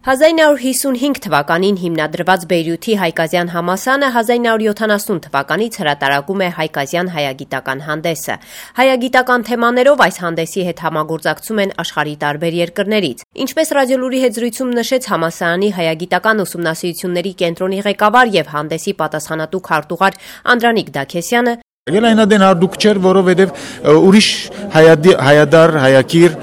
1955 թվականին հիմնադրված Բեյրութի հայկազյան համալսարանը 1970 թվականից հրատարակում է հայկազյան հայագիտական հանդեսը։ Հայագիտական թեմաներով այս հանդեսի հետ համագործակցում են աշխարհի տարբեր երկրներից։ Ինչպես Ռադիոլուրի հետ զրույցում նշեց համալսարանի հայագիտական ուսումնասիրությունների կենտրոնի ղեկավար եւ հանդեսի պատասխանատու քարտուղար Անդրանիկ Դաքեսյանը, Գելայնադեն արդուք չէր, որովհետև ուրիշ հայադար, հայակիր,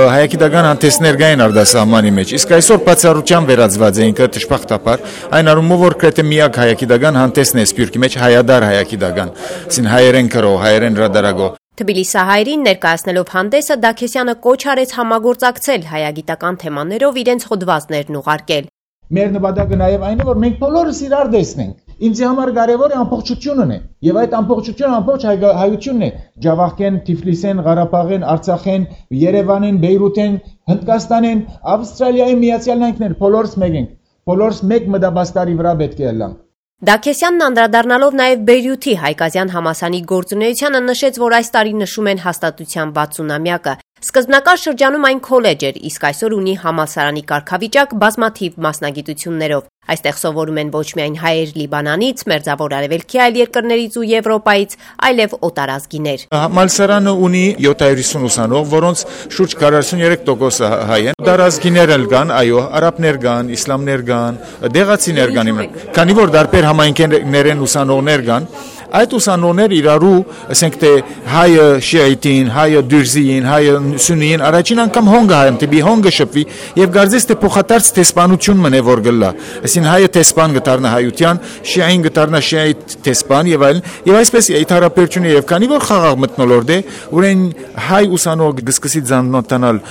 հայագիտական հանդեսներ կային արտասահմանի մեջ, իսկ այսօր բացառությամբ վերածված էին տշպախտապար, այն առումով որ գրեթե միակ հայագիտական հանդեսն է Սփյուռքի մեջ հայադար հայագիտական, այսին հայերեն կրող, հայերեն հրատարակող։ Թբիլիսահայերին ներկայացնելով հանդեսը Դաքեսյանը կոչ արեց համագործակցել հայագիտական թեմաներով իրենց հոդվածներն ուղարկել։ Մեր նպատակը նաև այն է, որ մենք բոլորս իրար տեսնենք։ Ինձ համար կարևորը ամբողջությունն է, եւ այդ ամբողջությունը ամբողջ հայությունն է։ Ջավախքեն, Թիֆլիսեն, Ղարաբաղեն, Արցախեն, Երևանեն, Բեյրութեն, Հնդկաստանեն, Ավստրալիայի Միացյալ Նահանգներ, բոլորս մեկ ենք։ Բոլորս մեկ մտաբաստարի վրա պետք է լանք։ Դաքեսյանն անդրադառնալով նաև Բեյրութի հայկազյան համալսարանի գործունեությանը նշեց, որ այս տարի նշում են հաստատության 60-ամյակը։ Սկզբնական շրջանում այն քոլեջ էր, իսկ այսօր ունի համալսարանի կարգավիճակ բազմաթիվ մասնագիտություններով։ Այստեղ սովորում են ոչ միայն հայեր Լիբանանից, Մերձավոր Արևելքի այլ երկրներից ու Եվրոպայից, այլև օտարազգիներ։ Համալսարանը ունի 750 ուսանող, որոնց շուրջ 43% հայ են։ Օտարազգիներ էլ կան, այո, արաբներ կան, իսլամներ կան, դեղացիներ կան, քանի որ դարբեր համայնքներ են ուսանողներ կան։ Այդ ուսանողներ իրարու, ասենք թե հայը շիայիտին, հայը դյուրզիին, հայը սուննիին առաջին անգամ հոնգը հայեմ, տիպի հոնգը շփվի եւ գարձես թե փոխադարձ տեսփանություն մնե որ գլա։ Այսին հայը տեսփան գտարնա հայության, շիային գտարնա շիայի տեսփան եւ այլն։ Եվ այսպես իթարապերչունի եւ քանի որ խաղաղ մտնոլորտ է, ուրեն հայ ուսանող գսկսի ծանոթանալ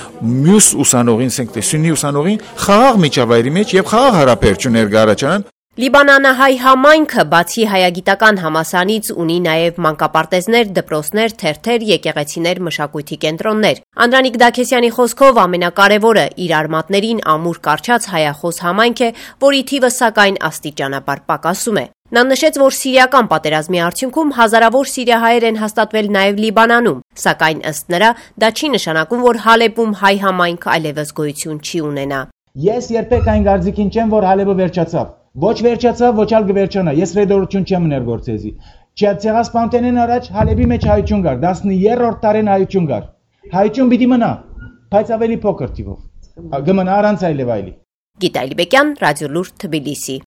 մյուս ուսանողին, ասենք թե սուննի ուսանողին խաղաղ միջավայրի մեջ եւ խաղաղ հարաբերություններ գարաչան։ Լիբանանահայ համայնքը բացի հայագիտական համալսարանից ունի նաև մանկապարտեզներ, դպրոցներ, թերթեր, եկեղեցիներ, մշակույթի կենտրոններ։ Անդրանիկ Դաքեսյանի խոսքով ամենակարևորը իր արմատներին ամուր կարճած հայախոս համայնք է, որի թիվը սակայն աստիճանաբար պակասում է։ Նա նշեց, որ սիրիական պատերազմի արդյունքում հազարավոր սիրիահայեր են հաստատվել նաև Լիբանանում, սակայն ըստ նրա դա չի նշանակում, որ Հալեբում հայ համայնք այլևս գոյություն չի ունենա։ Ես երբեք այն կարծիքին չեմ, որ Հալեբը վերջացավ։ Ոչ վերջացավ, ոչ ալ կվերջանա։ Ես ռեդորություն չեմ ներգործեզի։ Չեղասպանտենեն առաջ Հալեբի մեջ հայություն կար, 13-րդ տարին հայություն կար։ Հայություն պիտի մնա, բայց ավելի փոքր թիվով։ Գմնա առանց այլև այլի։ Գիտալի Բեկյան, Ռադիոլուր, Թբիլիսի։